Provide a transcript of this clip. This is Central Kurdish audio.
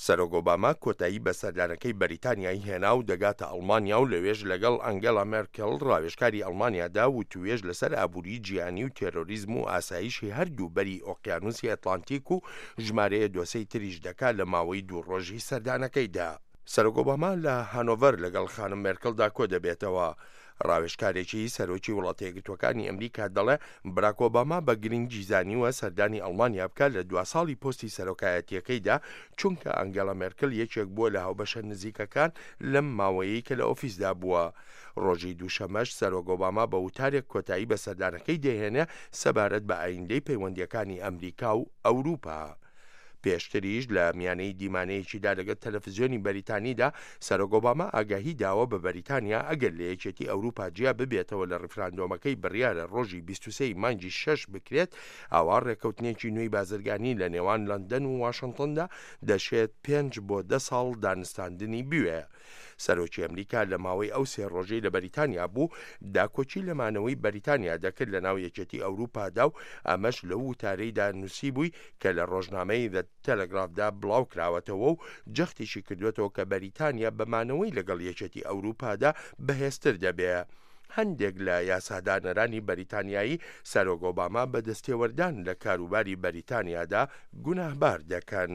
سەرۆک ئۆباما کۆتایی بە سەردانەکەی بەریتانیای هێنا و دەگاتە ئەڵمانیا و لەوێش لەگەڵ ئەنگێلا مێرکێل ڕاوێژکاری ئەڵمانیادا وتووێژ لەسەر ئابووری جیهانی و تێرۆریزم و ئاسایشی هەردوو بەری ئۆقیانوسی ئەتلانتیک و ژمارەیە دۆسێی تریش دەکا لە ماوەی دوو ڕۆژی سەردانەکەیدا. سەرۆک ئۆباما لە هانۆڤەر لەگەڵ خانم مێرکڵدا کۆدەبێتەوە. ڕاوێژکارێکی سەرۆکی وڵاتەیەکگرتووەکانی ئەمریکا دەڵێ براک ئۆباما بە گرنگی زانیوە سەردانی ئەڵمانیا بکات لە دوا ساڵی پۆستی سەرۆکایەتییەکەیدا، چونکە ئەنگێلا مێرکل یەکێک بووە لە هاوبەشە نزیکەکان لەم ماوەیەی کە لە ئۆفیسدا بووە. ڕۆژی دووشەمەش سەرۆک ئۆباما بە وتارێک کۆتایی بە سەردانەکەی دەهێنێ سەبارەت بە ئایندەی پەیوەندییەکانی ئەمریکا و ئەوروپا. پێشتریش لە میانەی دیمانەیەکیدا لەگەڵ تەلەفزیۆنی بەریتانیدا، سەرۆک ئۆباما ئاگاهی داوە بە بەریتانیا ئەگەر لە یەکێتی ئەوروپا جیا ببێتەوە لە ڕیفراندۆمەکەی بڕیارە ڕۆژی 23 ی مانگی شەش بکرێت، ئەوا ڕێککەوتنێکی نوێی بازرگانی لە نێوان لەندەن و واشنتندا دەشێت پێنج بۆ دە ساڵ دانوستاندنی بوێ. سەرۆکی ئەمریکا لە ماوەی ئەو سێ ڕۆژەی لە بەریتانیا بوو، داکۆکی لە مانەوەی بەریتانیا دەکرد لە ناو یەکێتی ئەوروپادا و ئەمەش لەو وتارەیدا نووسیبووی کە لە ڕۆژنامەی The Telegraph دا بڵاوکراوەتەوە و جەختیشی کردووەتەوە کە بەریتانیا بە مانەوەی لەگەڵ یەکێتی ئەوروپادا بەهێزتر دەبێ. هەندێک لە یاسادانەرانی بەریتانیایی سەرۆک ئۆباما بە دەستێوەردان لە کاروباری بەریتانیادا گوناهبار دەکەن.